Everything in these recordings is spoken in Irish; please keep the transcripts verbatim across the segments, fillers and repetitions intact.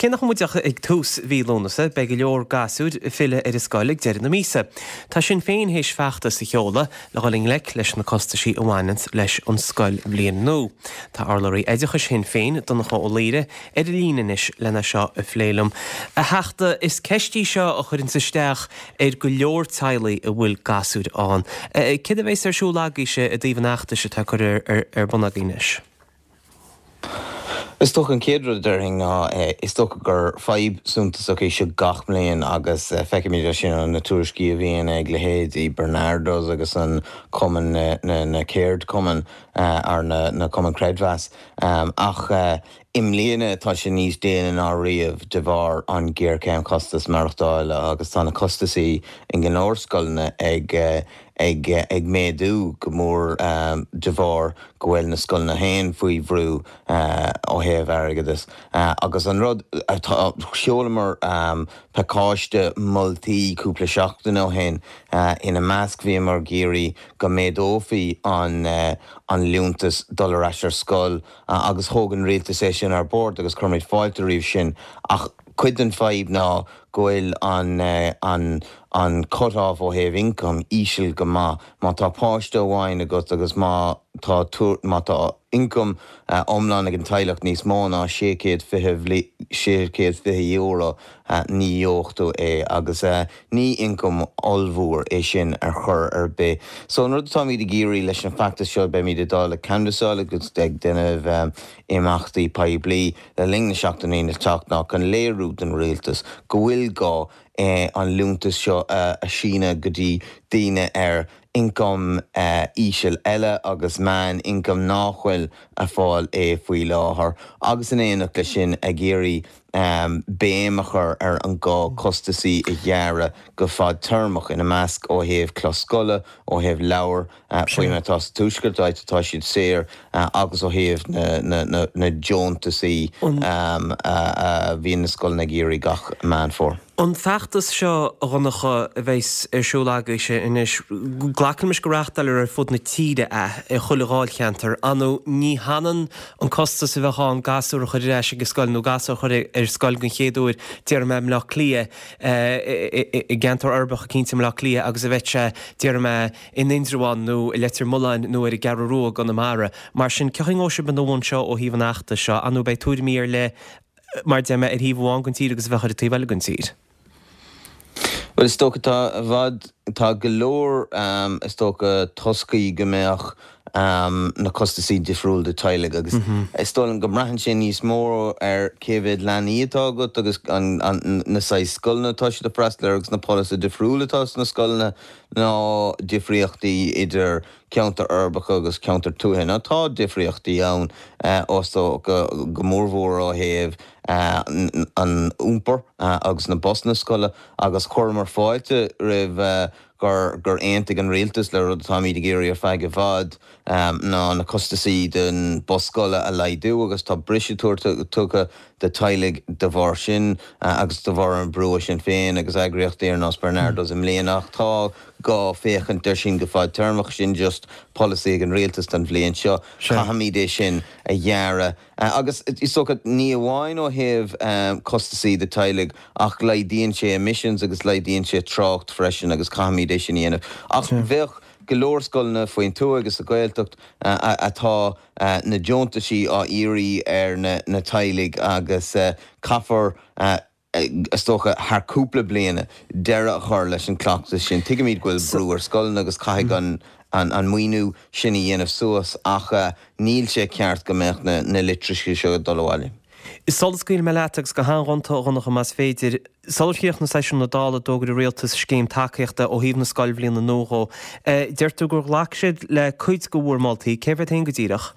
cé nach bhfuil muid ach ag tús mhí Lúnasa, beidh go leor gasúir ag filleadh ar an scoil ag deireadh na míosa. Tá Sinn Féin théis feachtas a sheoladh le dhul i ngleic leis na costaisí a bhaineanns leis an scoilbhliain nua. Tá urlabhraí oideachais Shinn Féin, Donncha Ó Laoghaire, ar an líne anois lena seo a phlé liom. A Theachta, is ceist í seo a chuireanns isteach ar go leor teaghlaigh a bhfuil gasúir ann. Céard a bheas ar siúl agaibhse i dtaobh an fheachtais atá curtha ar bun agaibh anois? Is dócha an chéad rud a déarfainn ná is dócha gur fadhb suntasach é seo gach bliain agus feicimid é sin ó na tuairiscí a bhíonn ag leithéidí Barnardo's agus an cumann na ceardchumainn ar na na cumainn creidmheas. Ach i mbliana tá sé níos déine ná riamh de bharr an géarchéim costas maireachtála agus tá na costasaí in go leor scoileanna ag ag ag méadú go mór de bharr go bhfuil na scoileanna féin faoi bhrú ó thaobh airgeadais. Agus an rud atá sheolamar pacáiste moltaí cúpla seachtain ó shin ina measc bhíomar ag iarraidh go méadófaí an an liúntas dul ar ais ar scoil agus thóg an rialtas é sin ar bord agus cuirimid fáilte roimh sin ach cuid den fadhb ná go bhfuil an an an cut-off ó thaobh income íseal go maith. Má tá páiste amháin agat agus má tá má tá income iomlán ag an teaghlach níos mó ná sé chéad fiche sé chéad fiche euro ní gheobhaidh tú é agus ní income ollmhór é sin ar chor ar bith. So an rud atáimid ag iarraidh leis an feachtas seo beimid ag dul ag canbhasáil agus ag déanamh imeachtaí poiblí le linn na seachtainí le teacht ná chun léiriú don rialtas go bhfuil gá an liúntas seo a síneadh go dtí daoine ar income íseal eile agus meán income nach bhfuil ag fáil é faoi láthair agus in éineacht leis sin ag iarraidh béim a chur ar an gá costasaí a ghearradh go fadtéarmach ina measc ó thaobh clós scoile, ó thaobh leabhar faoi mar atá sa tuaisceart áit atá siad saor agus ó thaobh na na deontasaí a bhíonn na scoileanna ag iarraidh gach Meán Fómhair. An feachtas seo a Dhonncha a bheas ar siúl agaibhse anois, glacaimis go reáchtáilfear ar fud na tíre é, i chuile dháilcheantar. Ar ndóigh ní hionann an costas a bheadh ann gasúr a chur ar ais ag an scoil nó gasúr a chur ar scoil den chéad uair, déarfaidh mé i mBleá Cliath, i gceantar uirbeach eicínt i mBleá Cliath agus a bheadh sé, déarfaidh mé, in Indreabhán nó i Leitir Mealláin nó ar an gCeathrú Rua i gConamara. Mar sin, cén chaoi a ngabhfaidh sibh ina bhun seo ó thaobh an fheachtais seo? Ar ndóigh beidh tuairimí ar leith mar deir mé ar thaobh amháin den tír agus a bheadh ar an taobh eile den tír. Well is dócha tá i bhfad tá go leor is dócha toscaí go mbeadh na costasaí difriúil do teaghlaigh agus is dóigh liom go mbraitheann sé níos mó ar cé mhéad leanaí atá agat agus an na saghas scoileanna atá siad ag freastal air agus na polasaithe difriúla atá sna scoileanna ná difríochtaí idir ceantar uirbeacha agus ceantar tuaithe. Ná tá difríochtaí ann is dócha go mórmhór ó thaobh an iompar agus na busanna scoile agus chuireamar fáilte roimh gur gur aontaigh an rialtas le rud atáimid ag iarraidh ar feadh i bhfad ná na costasaí den bus scoile a laghdú agus tá briseadh tugtha do teaghlaigh de bharr sin agus de bharr an brú sin féin agus eagraíochtaí ar nós Barnardo's i mbliana ach tá gá féachaint air sin go fadtéarmach sin just polasaí ag an rialtas don bhliain seo caithfimid é sin a ghearradh agus is dócha ní amháin ó thaobh costasaí do teaghlaigh ach laghdaíonn sé emissions agus laghdaíonn sé trácht freisin agus caithfimid é sin a dhéanamh ach bheadh go leor scoileanna faoin tuath agus sa Ghaeltacht atá na deontaisí á iarraidh ar na teaghlaigh agus caithfear is dócha thar cúpla bliana deireadh a chur leis an cleachtas sin. Tuigimid go bhfuil brú ar scoileanna agus caithfidh an an maoiniú sin a dhéanamh suas ach níl sé ceart go mbeadh na na litreacha seo ag dul abhaile. Sula scaoilfidh mé leat agus go han-ghonta a Dhonncha más féidir, sular chríochnaigh seisiún na Dála d'fhógair an Rialtas scéim tacaíochta ó thaobh na scoilbhliana nua dhó. Deir tú gur ghlac siad le cuid de bhur moltaí, cérbh iad féin go díreach?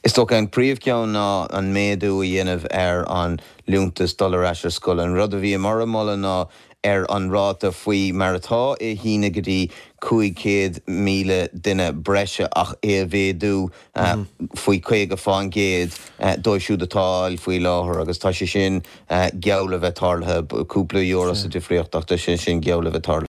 Is dócha an príomhcheann ná an méadú a dhéanamh ar an liúntas dul ar ais ar scoil. An rud a bhíomar ag moladh ná ar an ráta faoi mar atá é a shíneadh go dtí cúig chéad míle duine breise ach é a mhéadú faoi caoga faoin gcéad dóibh siúd atá á fháil faoi láthair agus tá sé sin geall le bheith tarlaithe, cúpla euro sa difríocht ach tá sé sin geall le bheith tarlaithe.